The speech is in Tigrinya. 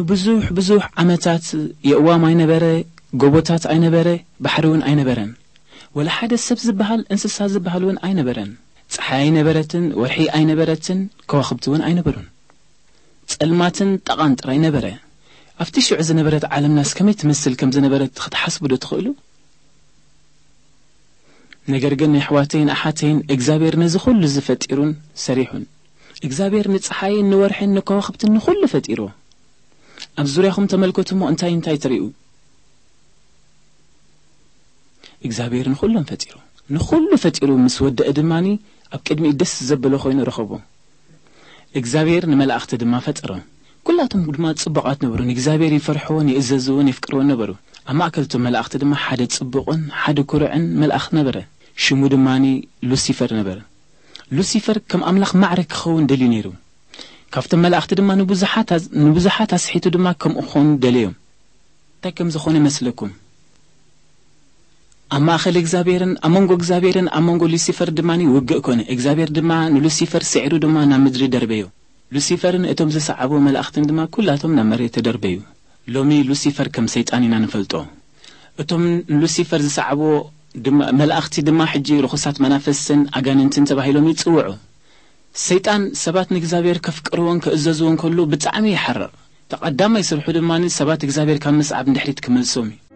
ብዙሕ ብዙሕ ዓመታት የእዋም ኣይነበረ፣ ጎቦታት ኣይነበረ፣ ባሕሪ እውን ኣይነበረን። ወላ ሓደ ሰብ ዝበሃል እንስሳ ዝበሃል እውን ኣይነበረን። ፀሓይ ኣይነበረትን፣ ወርሒ ኣይነበረትን፣ ከዋኽብቲ እውን ኣይነበሩን። ጸልማትን ጠቓን ጥራይ ነበረ። ኣብቲ ሽዑ ዝነበረት ዓለምናስ ከመይ ትመስል ከም ዝነበረት ክትሓስቡ ዶ ትኽእሉ? ነገር ግን ኣሕዋተይን ኣሓተይን እግዚኣብሔር ነዚ ኩሉ እዚ ፈጢሩን ሰሪሑን። እግዚኣብሔር ንፀሓይን ንወርሕን ንከዋኽብትን ንኹሉ ፈጢሩ። ኣብ ዙርያኹም ተመልከቱ እሞ እንታይ እንታይ ትርእዩ? እግዚኣብሔር ንኹሎም ፈጢሩ። ንኹሉ ፈጢሩ ምስ ወደአ ድማኒ ኣብ ቅድሚኡ ደስ ዘበሎ ኮይኑ ረኸቦ። እግዚኣብሔር ንመላእኽቲ ድማ ፈጠሮም። ኩላቶም ድማ ጽቡቓት ነበሩ። ንእግዚኣብሔር ይፈርሕዎን ይእዘዝዎን የፍቅርዎን ነበሩ። ኣብ ማእከል እቶም መላእኽቲ ድማ ሓደ ጽቡቕን ሓደ ኩሩዕን መልኣኽ ነበረ። ሽሙ ድማኒ ሉሲፈር ነበረ። ሉሲፈር ከም ኣምላኽ ማዕረ ክኸውን ደልዩ ነይሩ። ካብቶም መላእኽቲ ድማ ንብዙሓት ኣዝ-፣ ንብዙሓት ኣስሒቱ ድማ ከምኡ ክኾኑ ደለዮም። እንታይ ከም ዝኾነ ይመስለኩም? ኣብ ማእከል እግዚኣብሔርን ኣብ መንጎ እግዚኣብሔርን ኣብ መንጎ ሉሲፈር ድማ ውግእ ኮነ። እግዚኣብሔር ድማ ንሉሲፈር ስዒሩ ድማ ናብ ምድሪ ደርበዮ። ሉሲፈርን እቶም ዝሰዓብዎ መላእኽትን ድማ ኩላቶም ናብ መሬት ተደርበዩ። ሎሚ ሉሲፈር ከም ሰይጣን ኢና ንፈልጦ። እቶም ንሉሲፈር ዝሰዓብዎ ድማ፣ መላእኽቲ ድማ ሕጂ ርኹሳት መናፍስትን ኣጋንንትን ተባሂሎም ይጽውዑ። ሰይጣን ሰባት ንእግዚኣብሔር ከፍቅርዎን ክእዘዝዎን ከሎ ብጣዕሚ ይሓርቕ። እቲ ቀዳማይ ስርሑ ድማ ሰባት እግዚኣብሔር ካብ ምስዓብ ንድሕሪት ክመልሶም እዩ።